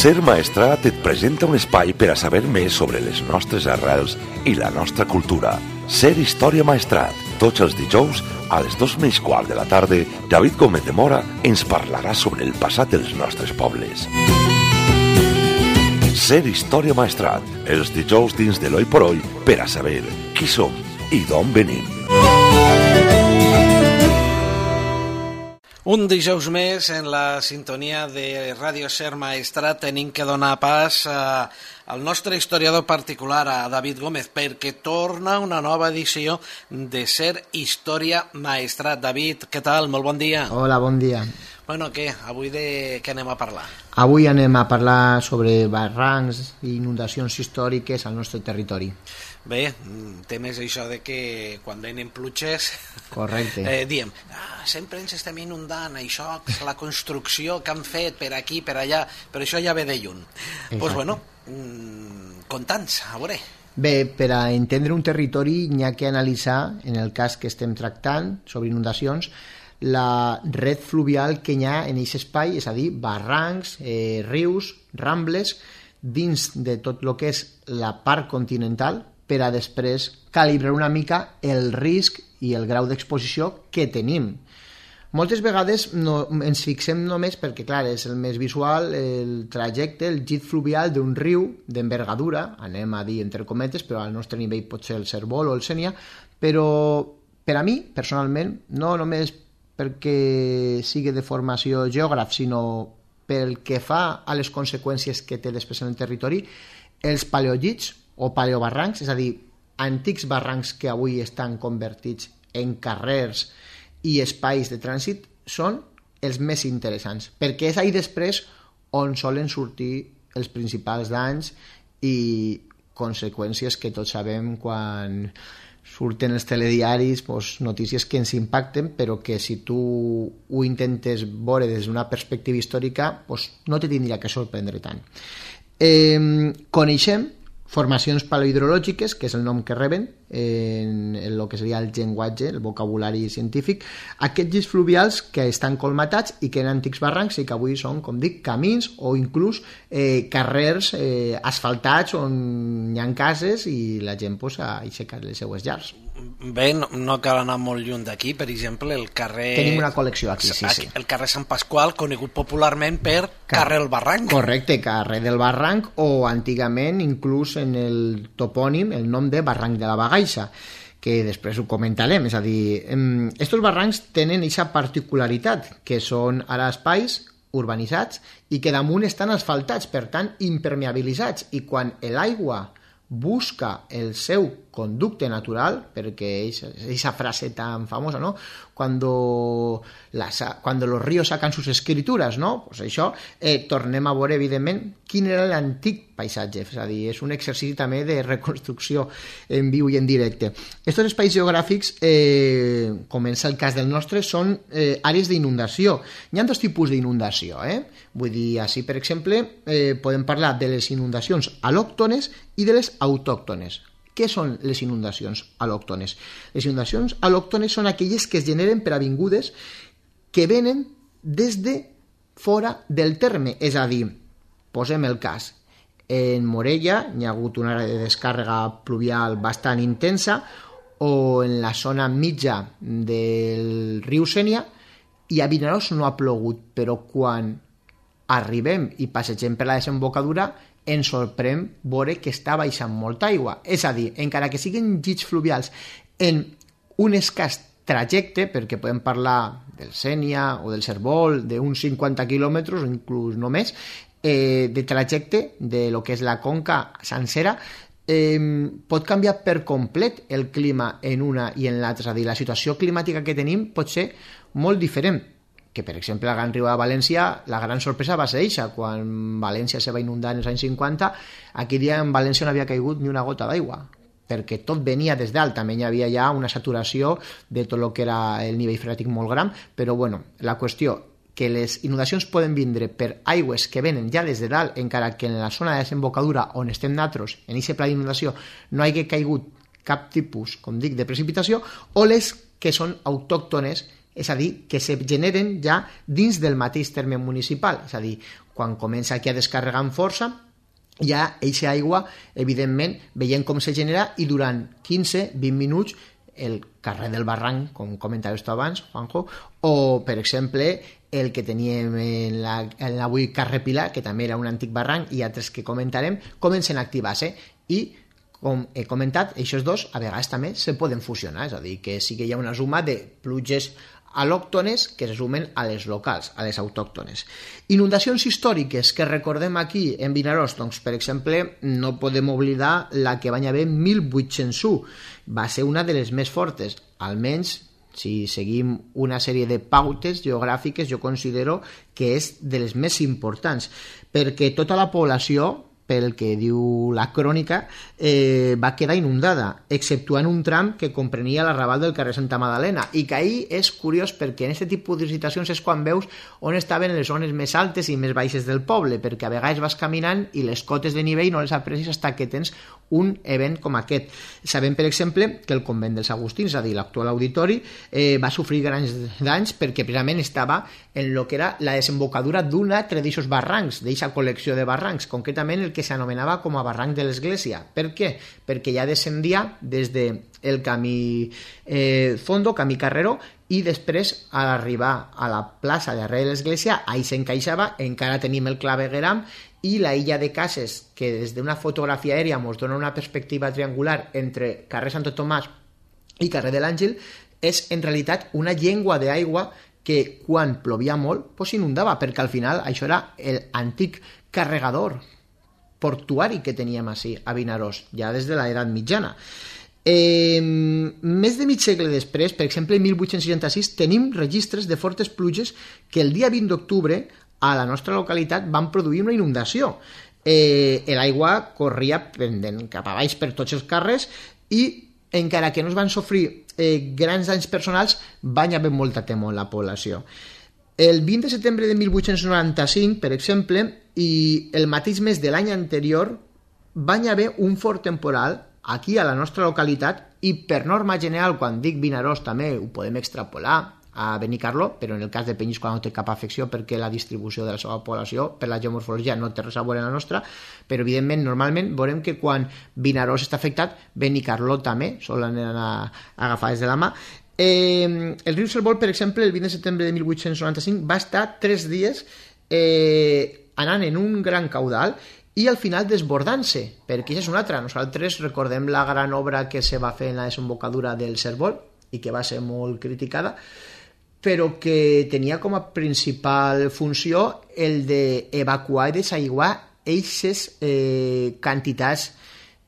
Ser Maestrat et presenta un espai per a saber més sobre les nostres arrels i la nostra cultura. Ser Història Maestrat. Tots els dijous, a les 2:15 de la tarda, David Gómez de Mora ens parlarà sobre el passat dels nostres pobles. Ser Història Maestrat. Els dijous dins de l'Oi por Oi per a saber qui som i d'on venim. Un dijous més en la sintonia de Ràdio Ser Maestrat tenim que donar pas al nostre historiador particular, a David Gómez, perquè torna una nova edició de Ser Història Maestrat. David, què tal? Molt bon dia. Hola, bon dia. Bueno, què? Avui de què anem a parlar? Avui anem a parlar sobre barrancs i inundacions històriques al nostre territori. Bé, temes això de que quan venen pluges diem, sempre ens estem inundant, això, la construcció que han fet per aquí, per allà, però això ja ve de lluny. Doncs bueno, conta'ns, a veure. Bé, per a entendre un territori n'hi ha que analitzar, en el cas que estem tractant sobre inundacions, la red fluvial que hi ha en aquest espai, és a dir, barrancs, rius, rambles, dins de tot el que és la part continental, per a després calibrar una mica el risc i el grau d'exposició que tenim. Moltes vegades ens fixem només perquè, clar, és el més visual, el trajecte, el llit fluvial d'un riu d'envergadura, anem a dir entre cometes, però al nostre nivell pot ser el Cérvol o el Sénia, però per a mi, personalment, no només perquè sigui de formació geògraf, sinó pel que fa a les conseqüències que té després en el territori, els paleollits o paleobarrancs, és a dir, antics barrancs que avui estan convertits en carrers i espais de trànsit, són els més interessants, perquè és ahí després on solen sortir els principals danys i conseqüències que tots sabem quan surten els telediaris, notícies que ens impacten, però que si tu ho intentes veure des d'una perspectiva històrica, no te tindria que sorprendre tant. Coneixem formacions paleohidrològiques, que és el nom que reben en el que seria el llenguatge, el vocabulari científic, aquests llits fluvials que estan colmatats i que eren antics barrancs i que avui són, com dic, camins o inclús carrers asfaltats on hi ha cases i la gent ha aixecat les seues llars. Bé, no cal anar molt lluny d'aquí, per exemple, el carrer... Tenim una col·lecció aquí, sí. El carrer Sant Pasqual, conegut popularment per carrer del Barranc. Correcte, carrer del Barranc, o antigament inclús en el topònim el nom de Barranc de la Bagaixa, que després ho comentarem. És a dir, estos barrancs tenen aquesta particularitat, que són ara espais urbanitzats i que damunt estan asfaltats, per tant impermeabilitzats, i quan l'aigua busca el seu conducte natural, perquè esa frase tan famosa, ¿no? Cuando los ríos sacan sus escrituras, ¿no? Pues això, tornem a veure, evidentment, quin era l'antic paisatge, és a dir, és un exercici també de reconstrucció en viu i en directe. Estos espais geogràfics, com és el cas del nostre, són àrees d'inundació. Hi ha dos tipus d'inundació, Vull dir, així, per exemple, podem parlar de les inundacions al·lòctones i de les autòctones. Què són les inundacions al·lòctones? Les inundacions al·lòctones són aquelles que es generen per avingudes que venen des de fora del terme. És a dir, posem el cas, en Morella hi ha hagut una àrea de descàrrega pluvial bastant intensa, o en la zona mitja del riu Sénia, i a Vinaròs no ha plogut, però quan arribem i passegem per la desembocadura ens sorprèn veure que està baixant molta aigua. És a dir, encara que siguin llits fluvials en un escàs trajecte, perquè podem parlar del Sénia o del Cérvol, d'uns 50 quilòmetres o inclús no més, de trajecte de lo que és la conca sencera, pot canviar per complet el clima en una i en l'altra. És a dir, la situació climàtica que tenim pot ser molt diferent. Que, per exemple, al Gran Riu de València, la gran sorpresa va ser això, quan València se va inundar en els anys 50, aquell dia en València no havia caigut ni una gota d'aigua, perquè tot venia des dalt, també hi havia ja una saturació de tot el que era el nivell freàtic molt gran, però bueno, la qüestió que les inundacions poden vindre per aigües que venen ja des de dalt, encara que en la zona de desembocadura on estem nosaltres, en aquest pla d'inundació, no hagi caigut cap tipus, com dic, de precipitació, o les que són autòctones, és a dir, que se generen ja dins del mateix terme municipal, és a dir, quan comença aquí a descarregar amb força, ja eixa aigua, evidentment, veiem com se genera i durant 15-20 minuts el carrer del Barranc, com comentaves tu abans, Juanjo, o, per exemple, el que teníem en l'avui carrer Pilar, que també era un antic barranc, i altres que comentarem, comencen a activar-se. I, com he comentat, aquests dos a vegades també se poden fusionar, és a dir, que sí que hi ha una suma de pluges al·lòctones que se sumen a les locals, a les autòctones. Inundacions històriques que recordem aquí en Vinaròs, doncs, per exemple, no podem oblidar la que va haver en 1801. Va ser una de les més fortes, almenys si seguim una sèrie de pautes geogràfiques, jo considero que és de les més importants, perquè tota la població, pel que diu la crònica, va quedar inundada, exceptuant un tram que comprenia l'arrabal del carrer Santa Madalena, i que ahir és curiós perquè en aquest tipus de situacions és quan veus on estaven les zones més altes i més baixes del poble, perquè a vegades vas caminant i les cotes de nivell no les aprecis fins que tens un event com aquest. Sabem, per exemple, que el convent dels Agustins, és a dir, l'actual auditori, va sofrir grans danys perquè precisament estava en el que era la desembocadura d'un altre d'aquests barrancs, d'aquesta col·lecció de barrancs, concretament el que s'anomenava com a barranc de l'Església. Per què? Perquè ja descendia des del camí Fondo, camí Carreró, i després a arribar a la plaça darrere de l'Església, ahí s'encaixava, encara tenim el clavegueram i la illa de cases, que des d'una fotografia aèria ens dona una perspectiva triangular entre carrer Santo Tomàs i carrer de l'Àngel, és en realitat una llengua d'aigua que quan plovia molt s'inundava, perquè al final això era l'antic carregador portuari que teníem així a Vinaròs, ja des de l'edat mitjana. Més de mig segle després, per exemple, en 1866, tenim registres de fortes pluges que el dia 20 d'octubre a la nostra localitat van produir una inundació. L'aigua corria pendent cap a baix per tots els carrers i, encara que no es van sofrir grans danys personals, van haver molta temor en la població. El 20 de setembre de 1895, per exemple, i el mateix mes de l'any anterior, van haver un fort temporal aquí a la nostra localitat, i per norma general, quan dic Vinaròs també ho podem extrapolar a Benicarló, però en el cas de Penyíscola no té cap afecció perquè la distribució de la seva població per la geomorfologia no té res a veure amb la nostra, però evidentment normalment veurem que quan Vinaròs està afectat, Benicarló també solen anar agafades de la mà. El riu Salvol, per exemple, el 20 de setembre de 1895 va estar 3 dies anant en un gran caudal i al final desbordant-se, perquè això és una altra. Nosaltres recordem la gran obra que se va fer en la desembocadura del Servol i que va ser molt criticada, però que tenia com a principal funció el d'evacuar i desaiguar eixes quantitats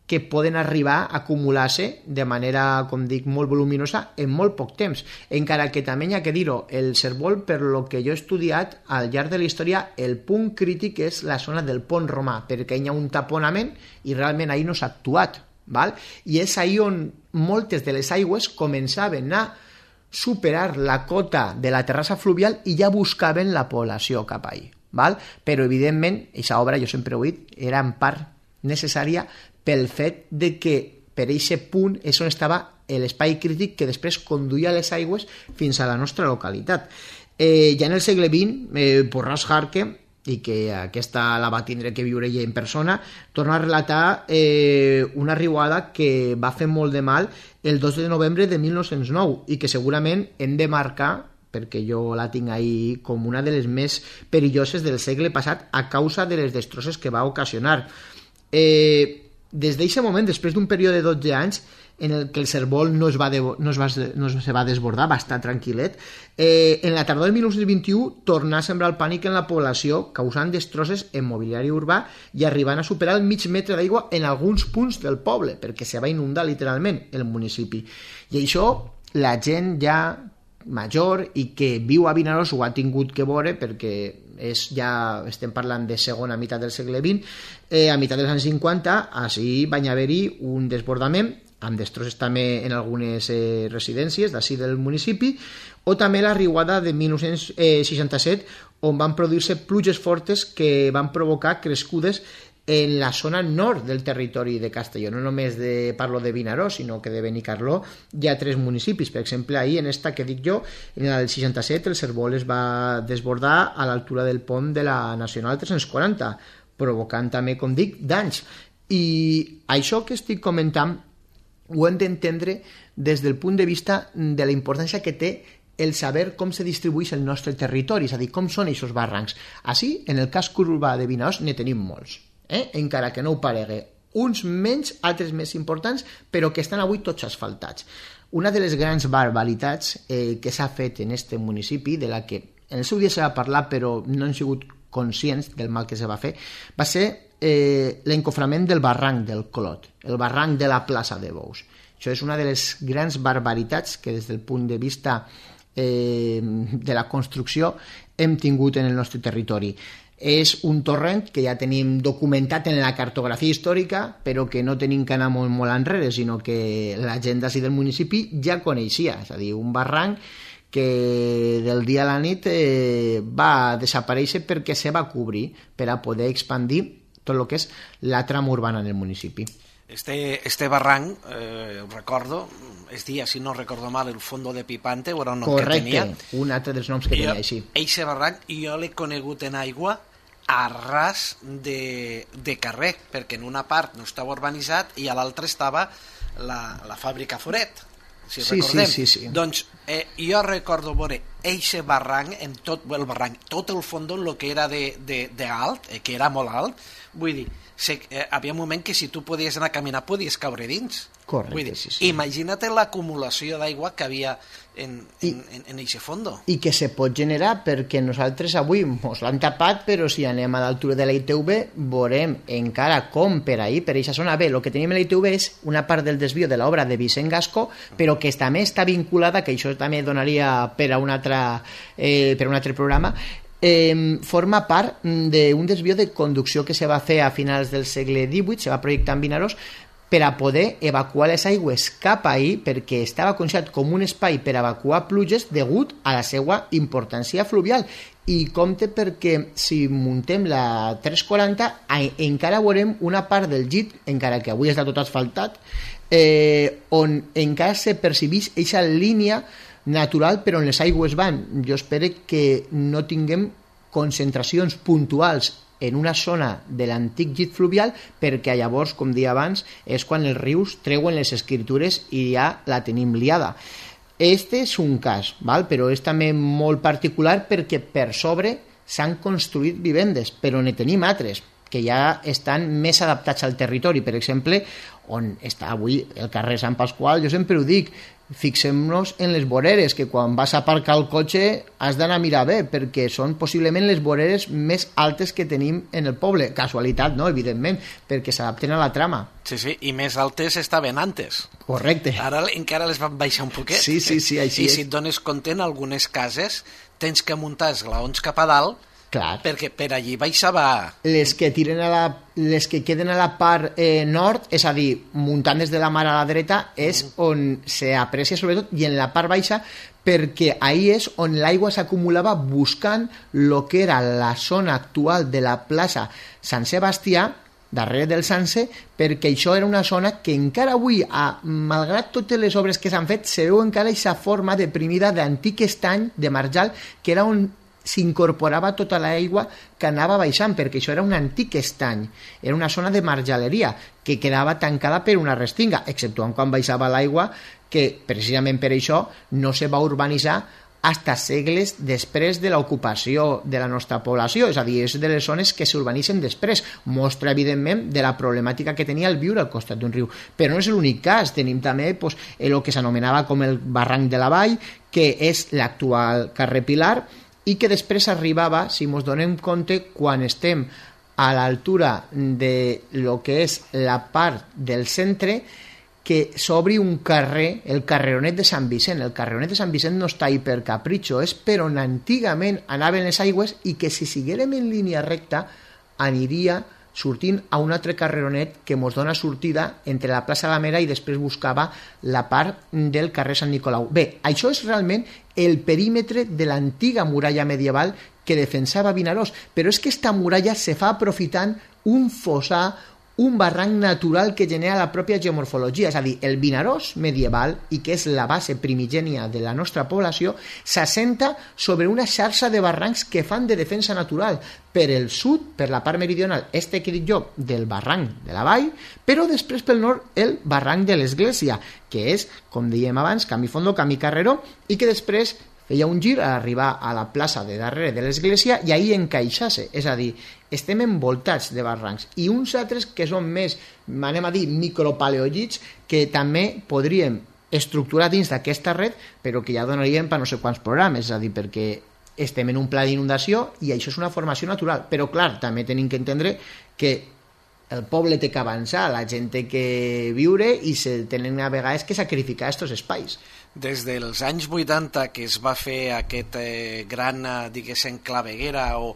que poden arribar a acumular-se de manera, com dic, molt voluminosa en molt poc temps. Encara que també hi ha que dir-ho, el Servol, per lo que jo he estudiat al llarg de la història, el punt crític és la zona del pont romà, perquè hi ha un taponament i realment ahir no s'ha actuat, val? I és ahir on moltes de les aigües començaven a superar la cota de la terrassa fluvial i ja buscaven la població cap ahir, val? Però evidentment, aquesta obra, jo sempre ho he dit, era en part necessària pel fet de que per aquest punt és on estava l'espai crític que després conduïa les aigües fins a la nostra localitat. Ja en el segle XX, Porras Jarque, i que aquesta la va tindre que viure ella en persona, torna a relatar una riuada que va fer molt de mal el 2 de novembre de 1909 i que segurament hem de marcar, perquè jo la tinc ahí com una de les més perilloses del segle passat a causa de les destrosses que va ocasionar. Des d'aquest moment, després d'un període de 12 anys en el que el Servol no se va desbordar, va estar tranquil·let, en la tardor del 1921 tornà a sembrar el pànic en la població, causant destrosses en mobiliari urbà i arribant a superar el mig metre d'aigua en alguns punts del poble, perquè se va inundar literalment el municipi. I això la gent ja major i que viu a Vinaròs ho ha tingut que veure, perquè ja estem parlant de segona meitat del segle XX, a meitat dels anys 50 així va haver-hi un desbordament amb destrosses també en algunes residències d'ací del municipi, o també la riuada de 1967 on van produir-se pluges fortes que van provocar crescudes en la zona nord del territori de Castelló. No només parlo de Vinaròs, sinó que de Benicarló hi ha 3 municipis. Per exemple, ahir en esta que dic jo, en el 67, el Cérvol es va desbordar a l'altura del pont de la Nacional 340, provocant també, com dic, danys. I això que estic comentant ho hem d'entendre des del punt de vista de la importància que té el saber com se distribueix el nostre territori, és a dir, com són aquests barrancs. Així, en el casc urbà de Vinaròs ne tenim molts, encara que no ho paregui. Uns menys, altres més importants, però que estan avui tots asfaltats. Una de les grans barbaritats que s'ha fet en aquest municipi, de la que en el seu dia se va parlar però no hem sigut conscients del mal que se va fer, va ser l'encoframent del barranc del Clot, el barranc de la plaça de Bous. Això és una de les grans barbaritats que des del punt de vista de la construcció hem tingut en el nostre territori. És un torrent que ja tenim documentat en la cartografia històrica, però que no tenim que anar molt, molt enrere, sinó que la gent d'ací del municipi ja coneixia, és a dir, un barranc que del dia a la nit va desaparèixer perquè se va cobrir per a poder expandir tot el que és la trama urbana en el municipi. Este barranc, recordo, es dia, si no recordo mal, el Fondo de Pipante, o era un nom que tenia. Correcte, un altre dels noms que tenia així. Eixe barranc jo l'he conegut en aigua a ras de carrer, perquè en una part no estava urbanitzat i a l'altra estava la fàbrica Foret, si recordem. Sí. Doncs jo recordo veure eixe barranc, en tot el barranc, tot el fons en el que era de alt, que era molt alt, vull dir, havia un moment que si tu podies anar a caminar podies caure dins. Correcte, vull dir, sí. Imagina't l'acumulació d'aigua que havia en eixe fondo. I que se pot generar perquè nosaltres avui mos l'han tapat, però si anem a l'altura de la ITV veurem encara com per ahir, per eixa zona. Bé, el que tenim a la ITV és una part del desvío de l'obra de Vicent Gascó, però que també està vinculada, que això també donaria per a un altre programa, forma part d'un desvío de conducció que se va fer a finals del segle XVIII, se va projectar en Vinaròs per a poder evacuar les aigües cap ahir, perquè estava considerat com un espai per evacuar pluges degut a la seva importància fluvial. I compte perquè si muntem la 340 encara veurem una part del llit, encara que avui està tot asfaltat, on encara se percebeix aquesta línia natural per on les aigües van. Jo espero que no tinguem concentracions puntuals en una zona de l'antic llit fluvial, perquè llavors, com dia abans, és quan els rius treuen les escriptures i ja la tenim liada. Este és un cas, val? Però és també molt particular perquè per sobre s'han construït vivendes, però ne tenim altres que ja estan més adaptats al territori. Per exemple, on està avui el carrer Sant Pasqual, jo sempre ho dic, fixem-nos en les voreres, que quan vas a aparcar el cotxe has d'anar a mirar bé, perquè són possiblement les voreres més altes que tenim en el poble. Casualitat, no? Evidentment, perquè s'adapten a la trama. Sí, i més altes estaven antes. Correcte. Ara encara les van baixar un poquet. Sí, així és. I si et dones compte, en algunes cases tens que muntar esglaons cap a dalt. Clar. Perquè per allí baixava... Les que queden a la part nord, és a dir, muntant des de la mar a la dreta, és on s'aprecia sobretot, i en la part baixa, perquè ahí és on l'aigua s'acumulava buscant el que era la zona actual de la plaça Sant Sebastià, darrere del Sanse, perquè això era una zona que encara avui, malgrat totes les obres que s'han fet, se veu encara aquesta forma deprimida d'antic estany, de marjal, que era on s'incorporava tota l'aigua que anava baixant, perquè això era un antic estany, era una zona de marjaleria que quedava tancada per una restinga, exceptuant quan baixava l'aigua, que precisament per això no se va urbanitzar fins segles després de l'ocupació de la nostra població, és a dir, és de les zones que s'urbanitzen després. Mostra, evidentment, de la problemàtica que tenia el viure al costat d'un riu. Però no és l'únic cas, tenim també el que s'anomenava com el barranc de la Vall, que és l'actual carrer Pilar, i que després arribava, si ens donem compte, quan estem a l'altura de lo que és la part del centre, que s'obri un carrer, el carreronet de Sant Vicent. El carreronet de Sant Vicent no està ahí per capritxo, és per on antigament anaven les aigües i que si siguérem en línia recta aniria sortint a un altre carreronet que mos dona sortida entre la plaça La Mera i després buscava la part del carrer Sant Nicolau. Bé, això és realment el perímetre de l'antiga muralla medieval que defensava Vinaròs, però és que esta muralla se fa aprofitant un fossar, un barranc natural que genera la pròpia geomorfologia, és a dir, el Vinaròs medieval, i que és la base primigènia de la nostra població, s'assenta sobre una xarxa de barrancs que fan de defensa natural. Per el sud, per la part meridional, que he dit jo, del barranc de la vall, però després pel nord el barranc de l'Església, que és, com dèiem abans, camí fondo, camí carreró, i que després feia un gir a arribar a la plaça de darrere de l'església i ahir encaixar-se, és a dir, estem envoltats de barrancs i uns altres que són més, anem a dir, micropaleògits, que també podríem estructurar dins d'aquesta red, però que ja donarien per no sé quants programes, és a dir, perquè estem en un pla d'inundació i això és una formació natural, però clar, també tenim que entendre que el poble té que avançar, la gent té que viure i se tenen a vegades que sacrificar aquests espais. Des dels anys 80 que es va fer aquest gran, diguéssim, claveguera o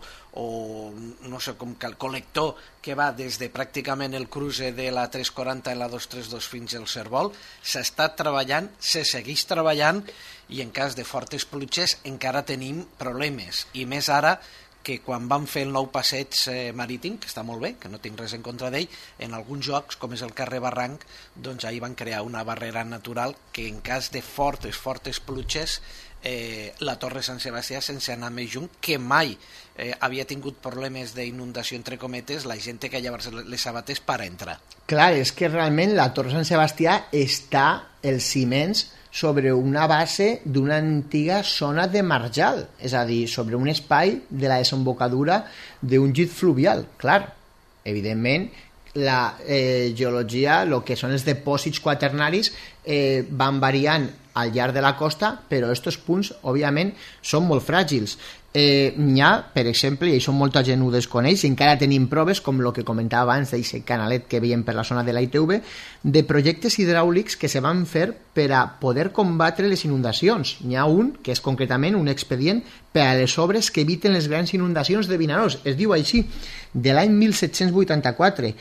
no sé com que el col·lector que va des de pràcticament el cruce de la 340 i la 232 fins al Cérvol, s'ha estat treballant, se segueix treballant i en cas de fortes pluges encara tenim problemes, i més ara que quan van fer el nou passeig marítim, que està molt bé, que no tinc res en contra d'ell, en alguns jocs, com és el carrer Barranc, doncs ahir van crear una barrera natural que en cas de fortes pluges, la Torre Sant Sebastià, sense anar més junt, que mai havia tingut problemes d'inundació, entre cometes, la gent té que llevar les sabates per entrar. Clar, és que realment la Torre Sant Sebastià està, els ciments, sobre una base d'una antiga zona de marjal, és a dir, sobre un espai de la desembocadura d'un llit fluvial. Clar, evidentment, la geologia, el que són els depòsits quaternaris, van variant al llarg de la costa, però aquests punts, òbviament, són molt fràgils. N'hi ha, per exemple, i això molta gent ho desconeix, i encara tenim proves, com el que comentava abans d'aquest canalet que veiem per la zona de la ITV, de projectes hidràulics que se van fer per a poder combatre les inundacions. N'hi ha un, que és concretament un expedient per a les obres que eviten les grans inundacions de Vinaròs. Es diu així, de l'any 1784,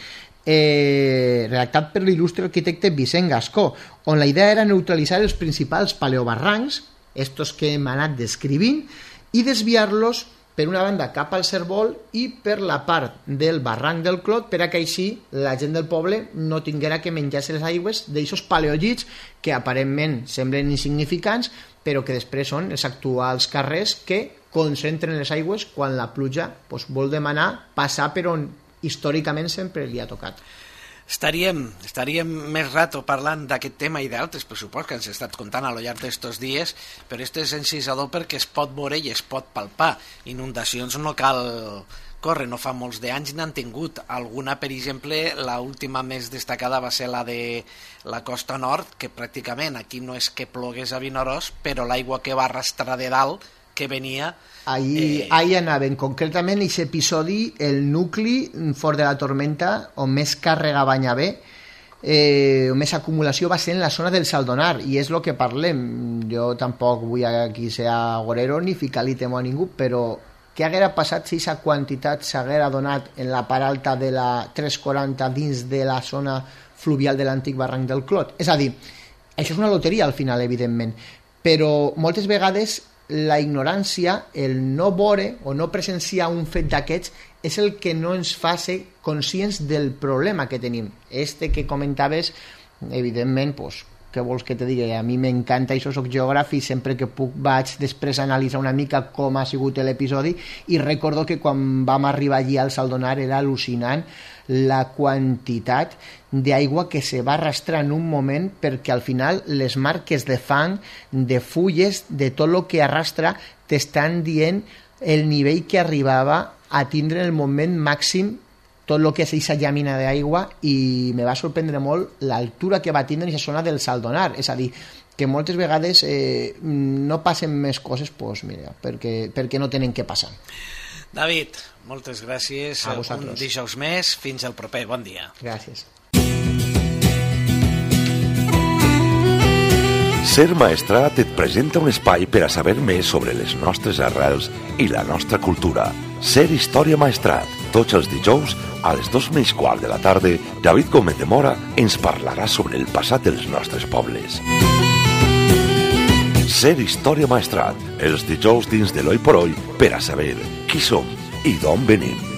redactat per l'il·lustre arquitecte Vicent Gascó, on la idea era neutralitzar els principals paleobarrancs, estos que hem anat descrivint, i desviar-los per una banda cap al Cérvol i per la part del barranc del Clot, per a que així la gent del poble no tinguera que menjar-se les aigües d'aixos paleògits que aparentment semblen insignificants, però que després són els actuals carrers que concentren les aigües quan la pluja vol demanar passar per on històricament sempre li ha tocat. Estaríem més rato parlant d'aquest tema i d'altres, per supost, que ens he estat contant a lo llarg d'estos dies, però este és encisador perquè es pot veure i es pot palpar. Inundacions no cal córrer, no fa molts d'anys n'han tingut. Alguna, per exemple, l'última més destacada va ser la de la costa nord, que pràcticament aquí no és que plogués a Vinaròs, però l'aigua que va arrastrar de dalt, que venia... Ahir anaven, concretament, aquest episodi, el nucli fort de la tormenta, on més càrrega va haver, on més acumulació va ser en la zona del Saldonar, i és el que parlem. Jo tampoc vull aquí ser agorero ni ficar-li temor a ningú, però què haguera passat si aquesta quantitat s'haguera donat en la part alta de la 340 dins de la zona fluvial de l'antic barranc del Clot? És a dir, això és una loteria al final, evidentment, però moltes vegades la ignorància, el no veure o no presenciar un fet d'aquests és el que no ens fa ser conscients del problema que tenim. Que comentaves, evidentment, què vols que te digui? A mi m'encanta, això soc geògraf i sempre que puc vaig després analitzar una mica com ha sigut l'episodi, i recordo que quan vam arribar allí al Saldonar era al·lucinant la quantitat d'aigua que se va arrastrar en un moment, perquè al final les marques de fang, de fulles, de tot el que arrastra, t'estan dient el nivell que arribava a tindre en el moment màxim tot el que és aquesta llàmina d'aigua, i me va sorprendre molt l'altura que va tindre en aquesta zona del Saldonar. És a dir, que moltes vegades no passen més coses, mira, perquè no tenen que passar. David, moltes gràcies. A vosaltres. Un dijous més. Fins al proper. Bon dia. Gràcies. Ser Maestrat et presenta un espai per a saber més sobre les nostres arrels i la nostra cultura. Ser Història Maestrat. Tots els dijous, a les 2:15 de la tarda, David Gómez de Mora ens parlarà sobre el passat dels nostres pobles. Ser Història Maestrat. Els dijous dins de l'Hoy por Hoy per a saber qui som i d'on venim.